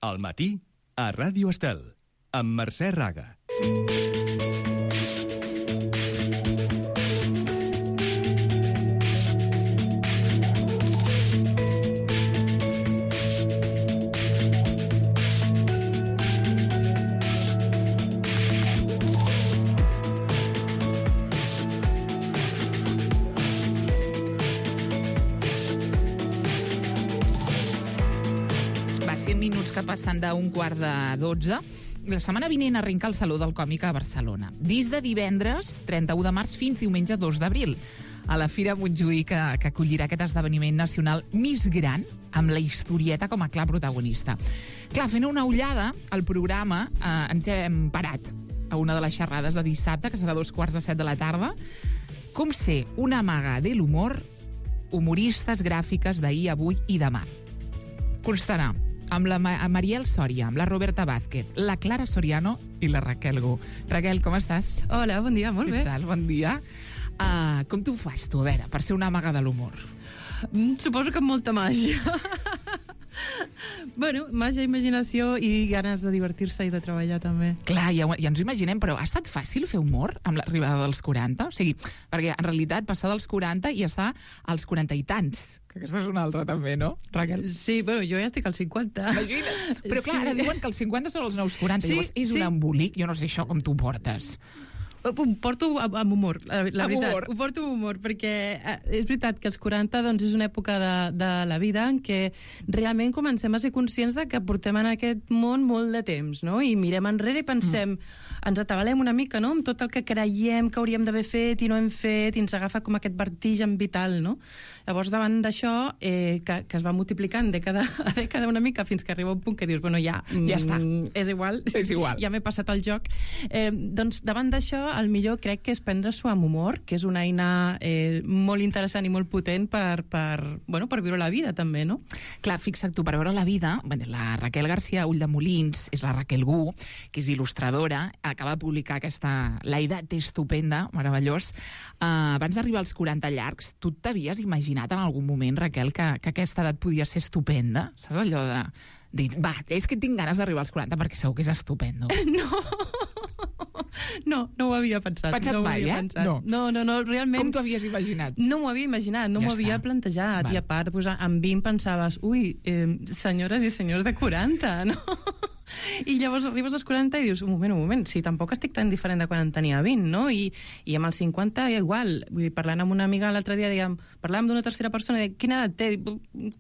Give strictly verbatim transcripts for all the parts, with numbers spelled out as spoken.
Al matí, a Ràdio Estel, amb Mercè Raga. Que passen d'un quart de dotze. La setmana vinent arrenca el Saló del Còmic a Barcelona. Des de divendres, trenta-u de març, fins diumenge dos d'abril. A la Fira Montjuïc, que, que acollirà aquest esdeveniment nacional més gran, amb la historieta com a clar protagonista. Clar, fent una ullada al programa, eh, ens hem parat a una de les xerrades de dissabte, que serà a dos quarts de set de la tarda. Com ser una maga de l'humor, humoristes gràfiques d'ahir, avui i demà. Constarà amb la Ma- Mariel Sòria, amb la Roberta Vázquez, la Clara Soriano i la Raquel Gu. Raquel, com estàs? Hola, bon dia, molt Què bé. tal? Bon dia. Uh, com t'ho fas, tu, a veure, per ser una maga de l'humor? Mm, Suposo que amb molta màgia. Bueno, màgia, imaginació i ganes de divertir-se i de treballar també. Clar, ja, ho- ja ens ho imaginem, però ha estat fàcil fer humor amb l'arribada dels quaranta? O sigui, perquè en realitat passar dels quaranta i estar als quaranta i tants, que aquesta és una altra també, no, Raquel? Sí, bueno, jo ja estic als cinquanta. Imagina't. Però clar, Sí. ara diuen que els cinquanta són els nous quaranta, Sí, llavors és sí. un embolic, jo no sé això com t'ho portes. Ho porto amb, amb humor, la, la Amb veritat. humor. Ho porto amb humor, perquè eh, és veritat que els quaranta doncs, és una època de, de la vida en què realment comencem a ser conscients de que portem en aquest món molt de temps, no? I mirem enrere i pensem, mm. ens atabalem una mica, no?, amb tot el que creiem que hauríem d'haver fet i no hem fet, i ens agafa com aquest vertigen vital, no? Llavors, davant d'això, eh, que, que es va multiplicant dècada a dècada una mica fins que arriba un punt que dius, bueno, ja, Ja està. mm, és igual, És igual. ja m'he passat el joc. Eh, doncs, davant d'això, el millor crec que és prendre-s'ho amb humor, que és una eina eh, molt interessant i molt potent per, per, bueno, per viure la vida, també, no? Clar, fixa't tu, per veure la vida, bueno, la Raquel García Ulldemolins és la Raquel Gu, que és il·lustradora, acaba de publicar aquesta La edat estupenda, meravellós. Uh, abans d'arribar als quaranta llargs, tu t'havies imaginat en algun moment, Raquel, que, que aquesta edat podia ser estupenda? Saps allò de dir, va, és que tinc ganes d'arribar als quaranta perquè segur que és estupendo. No! No, no ho havia pensat. Pensat no ho mai, havia eh? pensat. No. No, no, no, realment... Com t'ho havies imaginat? No m'ho havia imaginat, no Ja m'ho havia està. plantejat. Val. I a part, doncs, amb vint pensaves, ui, eh, senyores i senyors de quaranta, no? I llavors arribes als quaranta i dius, un moment, un moment, si tampoc estic tan diferent de quan en tenia vint, no? I, i amb els cinquanta igual, vull dir, parlant amb una amiga l'altre dia, dèiem, parlàvem d'una tercera persona, i deia, quina edat té?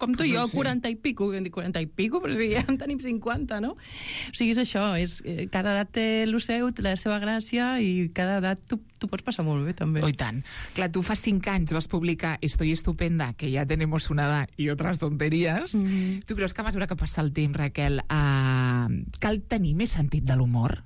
Com tu i jo, Sí. quaranta i pico. I em dic, quaranta i pico? Però si ja en tenim cinquanta, no? O sigui, és això, és, eh, cada edat té el seu, té la seva gràcia, i cada edat tu, tu pots passar molt bé, també. Oh, i tant. Clar, tu fa cinc anys vas publicar Estoy estupenda, que ya tenemos una edad y otras tonterías. Mm-hmm. Tu creus que a mesura que passa el temps, Raquel, uh, cal tenir més sentit de l'humor?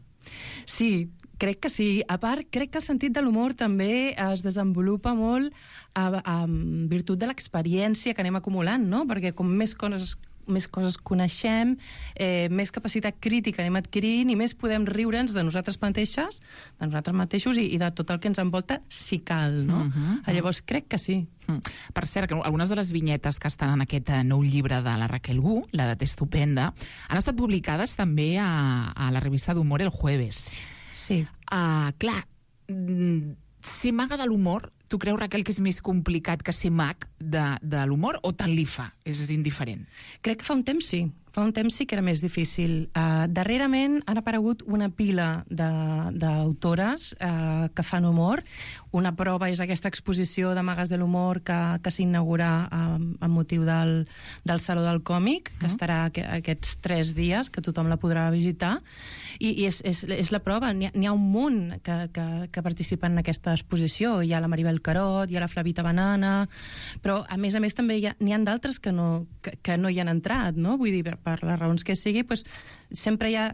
Sí, crec que sí. A part, crec que el sentit de l'humor també es desenvolupa molt a, a, en virtut de l'experiència que anem acumulant, no? Perquè com més coses més coses coneixem, eh, més capacitat crítica anem adquirint i més podem riure'ns de nosaltres mateixes, de nosaltres mateixos i, i de tot el que ens envolta, si cal, no? Mhm. Llavors, crec que sí. Mm. Per cert, que algunes de les vinyetes que estan en aquest eh, nou llibre de la Raquel Gu, l'edat estupenda, han estat publicades també a, a la revista d'humor El Jueves. Sí. Uh, clar, mm, ser maga de l'humor, tu creus, Raquel, que és més complicat que ser mag de, de l'humor o tant li fa? És indiferent? Crec que fa un temps sí. Fa un temps sí que era més difícil. Uh, darrerament han aparegut una pila de- d'autores uh, que fan humor. Una prova és aquesta exposició de Magues de l'Humor que, que s'inaugura um, amb motiu del, del Saló del Còmic, que Mm. estarà aqu aquests tres dies, que tothom la podrà visitar. I, i és, és, és la prova. N'hi ha, n'hi ha un munt que, que, que participen en aquesta exposició. Hi ha la Maribel Carot, hi ha la Flavita Banana, però a més a més també hi ha, n'hi ha d'altres que, no, que, que no hi han entrat, no? Vull dir, per, per les raons que sigui, pues, sempre hi ha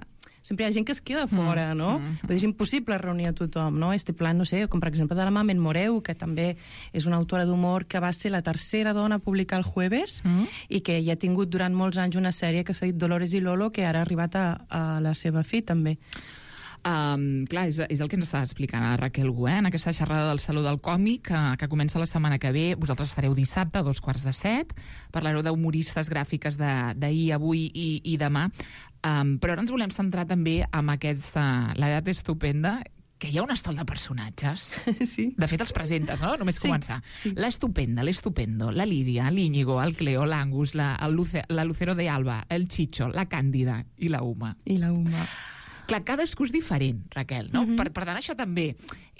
sempre hi ha gent que es queda fora, Mm, no? mm, mm. Vull dir, és impossible reunir a tothom, no? Este plan, no sé, com per exemple de la Mamen Moreu, que també és una autora d'humor que va ser la tercera dona a publicar el Jueves Mm. i que ja ha tingut durant molts anys una sèrie que s'ha dit Dolores i Lolo, que ara ha arribat a, a la seva fi, també. Um, clar, és, és el que ens estava explicant la Raquel Gu, eh? En aquesta xerrada del Saló del Còmic, que, que comença la setmana que ve. Vosaltres estareu dissabte a dos quarts de set, parlareu d'humoristes gràfiques d'ahir, avui i, i demà. Um, però ara ens volem centrar també en aquesta L'edat estupenda, que hi ha un estol de personatges. Sí. De fet, els presentes, no? Només Sí, començar. sí. L'Estupenda, l'Estupendo, la Lídia, l'Íñigo, el Cleo, l'Angus, la, el Luce, la Lucero de Alba, el Chicho, la Càndida i la Uma. I la Uma. Clar, cadascú és diferent, Raquel, no? Mhm. per, per tant, això també,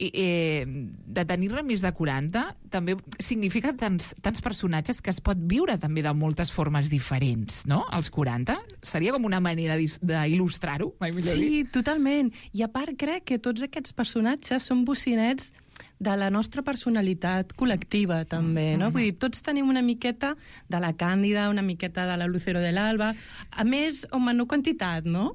eh, eh, de tenir-ne més de quaranta, també significa tants, tants personatges que es pot viure també de moltes formes diferents, no? Els quaranta? Seria com una manera d'is- d'il·lustrar-ho, mai millor dit. Sí, totalment. I a part crec que tots aquests personatges són bocinets de la nostra personalitat col·lectiva, també, no? Vull dir, tots tenim una miqueta de la Càndida, una miqueta de la Lucero de l'Alba, a més, o menor quantitat, no?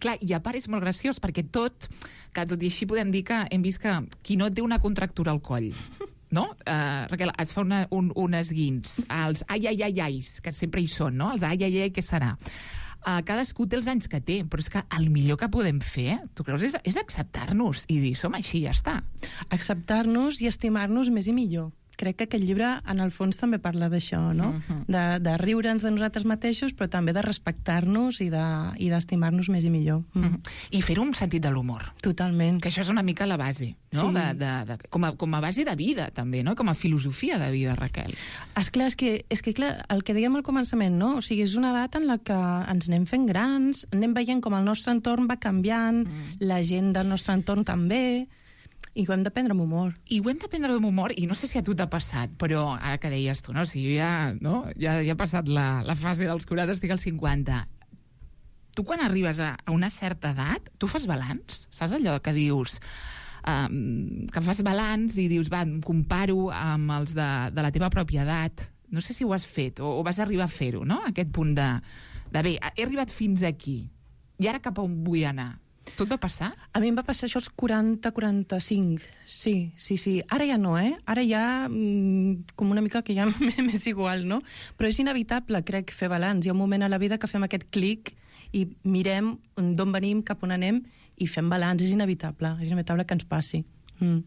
Clar, i a part és molt graciós, perquè tot, que tot i així podem dir que hem vist que qui no té una contractura al coll, no? Uh, Raquel, es fa una, un, un esguins, els ai, ai, ai, ais, que sempre hi són, no? Els ai, ai, ai, què serà? Uh, cadascú té els anys que té, però és que el millor que podem fer, tu creus, és, és acceptar-nos i dir, som així, ja està. Acceptar-nos i estimar-nos més i millor. Crec que aquest llibre, en el fons, també parla d'això, no? Mhm. De, de riure'ns de nosaltres mateixos, però també de respectar-nos i de- i d'estimar-nos més i millor. Mm. I fer-ho amb sentit de l'humor. Totalment. Que això és una mica la base, no? Sí. De, de, de, com, a, com a base de vida, també, no? Com a filosofia de vida, Raquel. Esclar, és que, és que clar, el que dèiem al començament, no? O sigui, és una edat en la que ens anem fent grans, anem veient com el nostre entorn va canviant, mm. la gent del nostre entorn també, i ho hem de prendre amb humor. I ho hem de prendre amb humor, i no sé si a tu t'ha passat, però ara que deies tu, no? Si jo ja, no? ja, ja he passat la, la fase dels quaranta, estic als cinquanta. Tu quan arribes a, a una certa edat, tu fas balanç? Saps allò que dius... Um, que fas balanç i dius, va, em comparo amb els de, de la teva pròpia edat. No sé si ho has fet o, o vas arribar a fer-ho, no? Aquest punt de, de bé, he arribat fins aquí i ara cap a on vull anar. Tu et va passar? A mi em va passar això als quaranta quaranta-cinc. Sí, sí, sí. Ara ja no, eh? Ara ja mm, com una mica que ja m'és igual, no? Però és inevitable, crec, fer balanç. Hi ha un moment a la vida que fem aquest clic i mirem d'on venim, cap on anem, i fem balanç. És inevitable. És inevitable que ens passi. Mm.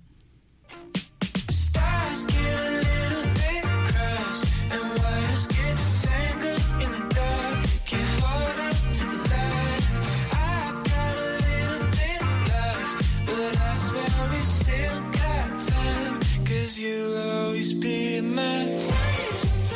Stars get a little bit crushed, and wires get tangled in the dark. Can't hold on to the light. I got a little bit lost, but I swear we still got time, 'cause you'll always be my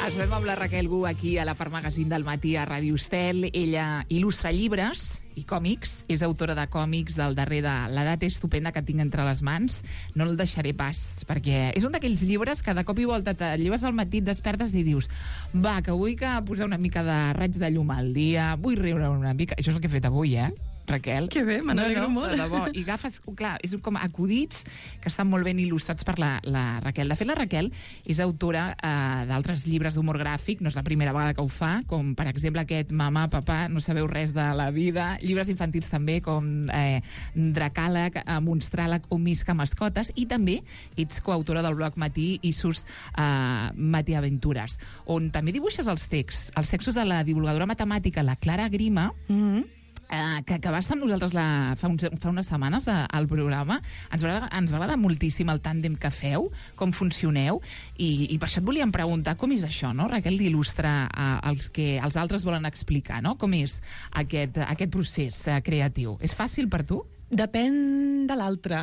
Estem amb la Raquel Gu aquí a la Part Magazine del matí a Ràdio Estel. Ella il·lustra llibres i còmics. És autora de còmics del darrer de L'edat estupenda que tinc entre les mans. No el deixaré pas, perquè és un d'aquells llibres que de cop i volta te lleves al matí, et despertes i dius, va, que vull que posar una mica de raig de llum al dia, vull riure una mica. Això és el que he fet avui, eh? Raquel. Que bé, me n'alegro molt. De debò. I agafes, clar, és com acudits que estan molt ben il·lustrats per la, la Raquel. De fet, la Raquel és autora eh, d'altres llibres d'humor gràfic, no és la primera vegada que ho fa, com per exemple aquest Mamà, papà, no sabeu res de la vida, llibres infantils també com eh, Dracàleg, eh, Monstràleg o Misca Mascotes, i també ets coautora del blog Matí i sus eh, Matí Aventures, on també dibuixes els texts, els textos de la divulgadora matemàtica, la Clara Grima, Mm-hmm. Uh, que, que va estar amb nosaltres la, fa, uns, fa unes setmanes a, al programa. Ens va, agradar, ens va agradar moltíssim el tàndem que feu, com funcioneu, i, i per això et volíem preguntar com és això, no, Raquel, d'il·lustrar uh, els que els altres volen explicar, no? Com és aquest, aquest procés uh, creatiu? És fàcil per tu? Depèn de l'altre.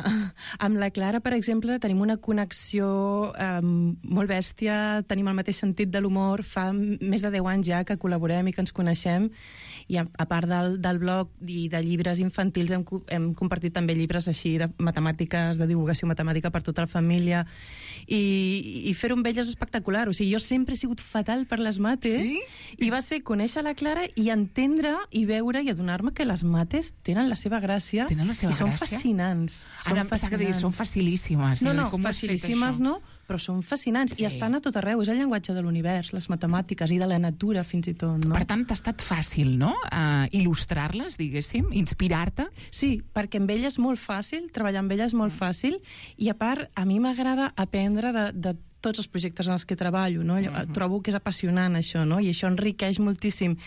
Amb la Clara, per exemple, tenim una connexió eh, molt bèstia, tenim el mateix sentit de l'humor, fa més de deu anys ja que col·laborem i que ens coneixem, i a, a part del, del blog i de llibres infantils hem, hem compartit també llibres així de matemàtiques, de divulgació matemàtica per tota la família, i, i fer-ho amb elles és espectacular. O sigui, jo sempre he sigut fatal per les mates, Sí? i va ser conèixer la Clara i entendre i veure i adonar-me que les mates tenen la seva gràcia. Tenen la seva I són gràcia? fascinants. Ara em pensava que deies, són facilíssimes. No, Dic, no, com ho has fet, facilíssimes això? no, però són fascinants. Sí. I estan a tot arreu. És el llenguatge de l'univers, les matemàtiques i de la natura, fins i tot. No? Per tant, t'ha estat fàcil, no?, uh, il·lustrar-les, diguéssim, inspirar-te. Sí, perquè amb ella és molt fàcil, treballar amb ella és molt fàcil, i a part, a mi m'agrada aprendre de, de tots els projectes en els que treballo, no? Uh-huh. Trobo que és apassionant, això, no? I això enriqueix moltíssim.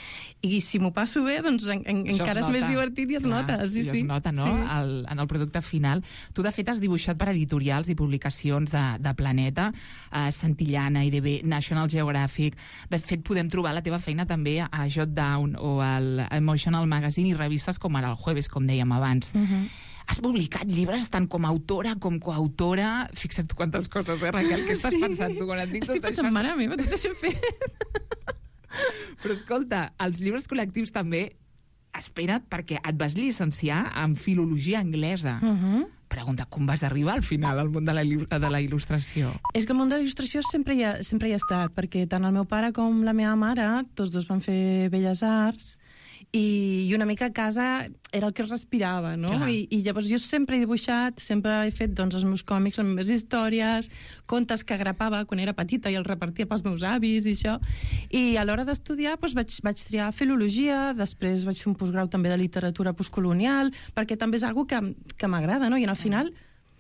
I si m'ho passo bé, doncs en, en, encara és més divertit i es Clar, nota. Sí, i sí. es nota, no?, Sí. el, en el producte final. Tu, de fet, has dibuixat per editorials i publicacions de, de Planeta, eh, Santillana, I D B, National Geographic. De fet, podem trobar la teva feina també a Jot Down o al Emotional Magazine i revistes com ara el Jueves, com dèiem abans. Uh-huh. Has publicat llibres tant com a autora com coautora. Fixa't tu quantes coses, eh, Raquel? Què estàs Sí. pensant tu quan et dic Estic tot pensant, això? mare meva, tot això fet. Però escolta, els llibres col·lectius també, espera't, perquè et vas llicenciar en filologia anglesa. Uh-huh. Pregunta, com vas arribar al final al món de la, il·lu- de la il·lustració? És que el món de la il·lustració sempre hi, ha, sempre hi ha estat, perquè tant el meu pare com la meva mare, tots dos van fer Belles Arts, i, i una mica a casa era el que es respirava, no? Clar. I, I llavors jo sempre he dibuixat, sempre he fet doncs, els meus còmics, les meves històries, contes que grapava quan era petita i els repartia pels meus avis i això. I a l'hora d'estudiar doncs, vaig, vaig triar filologia, després vaig fer un postgrau també de literatura postcolonial, perquè també és algo que, que m'agrada, no? I al final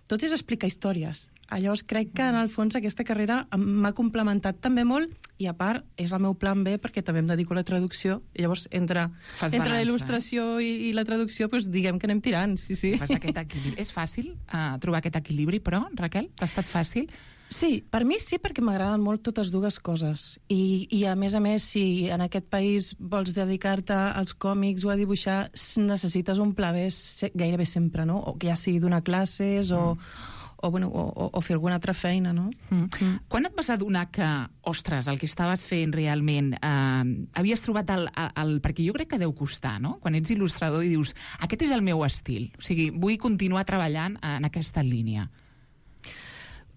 tot és explicar històries. Llavors crec que en el fons aquesta carrera m'ha complementat també molt i a part és el meu plan B perquè també em dedico a la traducció i llavors entre, Fas entre la balança, il·lustració i, i la traducció doncs diguem que anem tirant, sí, sí. Fas aquest equilibri. És fàcil uh, trobar aquest equilibri, però, Raquel, t'ha estat fàcil? Sí, per mi sí, perquè m'agraden molt totes dues coses. I, I a més a més, si en aquest país vols dedicar-te als còmics o a dibuixar, necessites un pla B gairebé sempre, no? O que ja sigui donar classes o... Mm. O, bueno, o, o fer alguna altra feina, no? Mm. Mm. Quan et vas adonar que, ostres, el que estaves fent realment, eh, havies trobat el, el, el... Perquè jo crec que deu costar, no? Quan ets il·lustrador i dius, aquest és el meu estil, o sigui, vull continuar treballant en aquesta línia.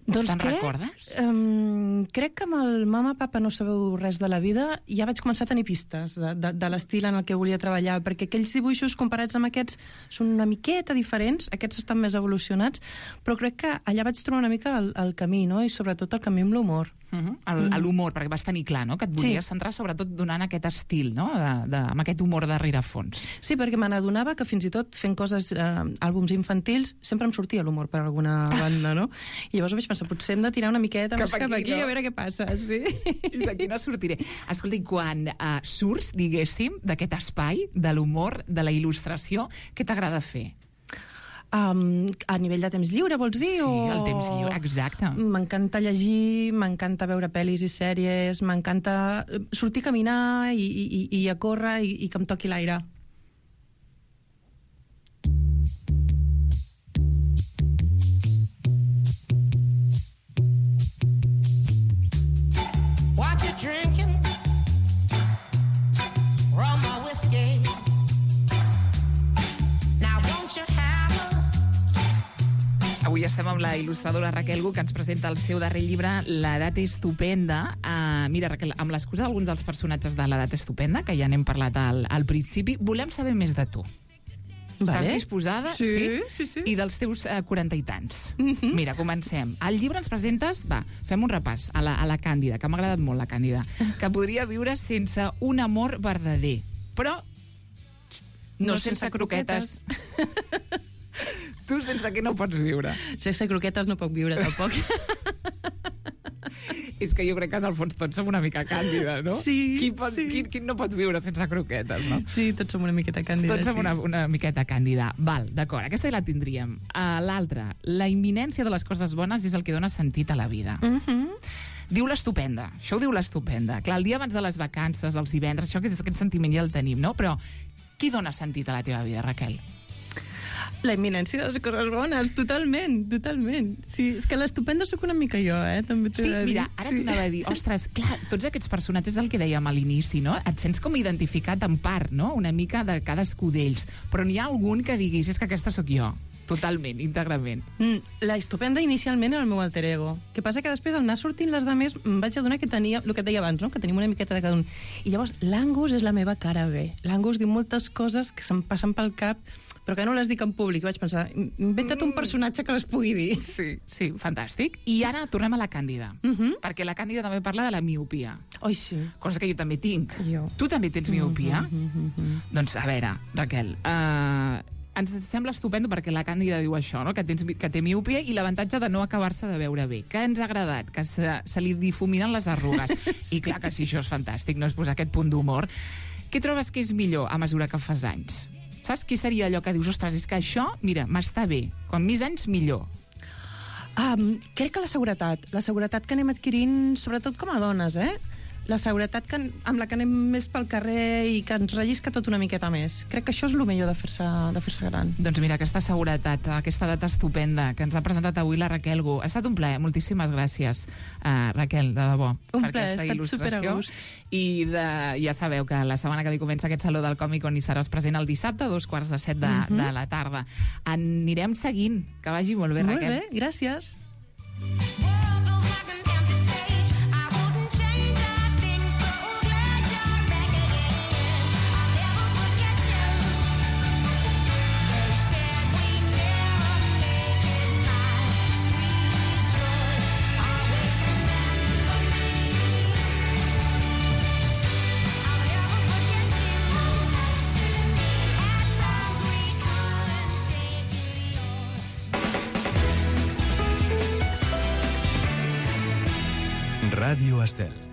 Doncs Te'n crec, recordes? Um, crec que amb el Mama, Papa, no sabeu res de la vida ja vaig començar a tenir pistes de, de, de l'estil en el que volia treballar, perquè aquells dibuixos comparats amb aquests són una miqueta diferents, aquests estan més evolucionats, però crec que allà vaig trobar una mica el, el camí, no? I sobretot el camí amb l'humor. Uh-huh. El, mm. L'humor, perquè vas tenir clar, no?, que et volies sí. centrar sobretot donant aquest estil, no?, de, de, amb aquest humor de rerefons. Sí, perquè me n'adonava que fins i tot fent coses, eh, àlbums infantils, sempre em sortia l'humor per alguna banda, no? I llavors vaig pensar, potser hem de tirar una miqueta cap més cap aquí, no? A veure què passa, sí. I d'aquí no sortiré. Escolta, i quan uh, surts, diguéssim, d'aquest espai de l'humor, de la il·lustració, què t'agrada fer? Um, a nivell de temps lliure, vols dir? Sí, o... el temps lliure, exacte. M'encanta llegir, m'encanta veure pel·lis i sèries, m'encanta sortir a caminar i, i, i a córrer i, i que em toqui l'aire. What you drinking? Rum or whiskey? Now won't you have a... Avui estem amb la il·lustradora Raquel Gu, que ens presenta el seu darrer llibre, L'edat estupenda. Uh, mira, Raquel, amb l'excusa d'alguns dels personatges de L'edat estupenda, que ja n'hem parlat al, al principi, volem saber més de tu. Vale. Estàs disposada? Sí, sí, sí. I dels teus uh, quaranta i tants. Mhm. Mira, comencem. Al llibre ens presentes... Va, fem un repàs a la, a la Càndida, que m'ha agradat molt, la Càndida, que podria viure sense un amor verdader, però no, No sense, sense croquetes. Tu sense què no pots viure? Sense croquetes no puc viure, tampoc. És que jo crec que en el fons tots som una mica càndida, no? Sí, qui, pot, sí. qui, qui no pot viure sense croquetes, no? Sí, tots som una miqueta càndida, Tots som sí. una, una miqueta càndida. Val, d'acord, aquesta ja la tindríem. Uh, L'altra, la imminència de les coses bones és el que dona sentit a la vida. Mhm. Diu l'estupenda, això ho diu l'estupenda. Clar, el dia abans de les vacances, els divendres, això, aquest, aquest sentiment ja el tenim, no? Però qui dona sentit a la teva vida, Raquel? La imminència de les coses bones, totalment, totalment. Sí, és que l'estupenda sóc una mica jo, eh? També t'he Sí, de dir. mira, ara sí. T'anava a dir, ostres, clar, tots aquests personatges, el que dèiem a l'inici, no? Et sents com identificat en part, no? Una mica de cadascú d'ells. Però n'hi ha algun que diguis, és que aquesta sóc jo. Totalment, íntegrament. Mm, la estupenda inicialment era el meu alter ego. Que passa que després, al anar sortint les de més, em vaig adonar que tenia, el que et deia abans, no? Que tenim una miqueta de cada un. I llavors, l'Angus és la meva cara B. L'Angus diu moltes coses que se'm passen pel cap, però que no les dic en públic. Vaig pensar, inventa't un personatge que les pugui dir. Sí, sí, fantàstic. I ara tornem a la Càndida, Uh -huh. perquè la Càndida també parla de la miopia, Oi, sí. cosa que jo també tinc. Jo. Tu també tens miopia? Uh -huh, uh -huh. Doncs, a veure, Raquel, uh, ens sembla estupendo perquè la Càndida diu això, no? que, tens, que té miopia i l'avantatge de no acabar-se de veure bé. Que ens ha agradat? Que se, se li difuminen les arrugues. I clar que sí, això és fantàstic, no és posar aquest punt d'humor. Què trobes que és millor a mesura que fas anys? Saps què seria allò que dius, ostres, és que això, mira, m'està bé. Com més anys, millor. Um, crec que la seguretat, la seguretat que anem adquirint, sobretot com a dones, eh? La seguretat que, amb la que anem més pel carrer i que ens rellisca tot una miqueta més. Crec que això és el millor de fer-se de fer-se gran. Doncs mira, aquesta seguretat, aquesta data estupenda que ens ha presentat avui la Raquel Gu. Ha estat un plaer, moltíssimes gràcies, uh, Raquel, de debò. Un per plaer, aquesta ha estat superagust. I de, ja sabeu que la setmana que ve comença aquest Saló del Còmic on hi seràs present el dissabte a dos quarts de set de, mm -hmm. de la tarda. Anirem seguint. Que vagi molt bé, molt Raquel. Molt bé, gràcies. Ràdio Estel.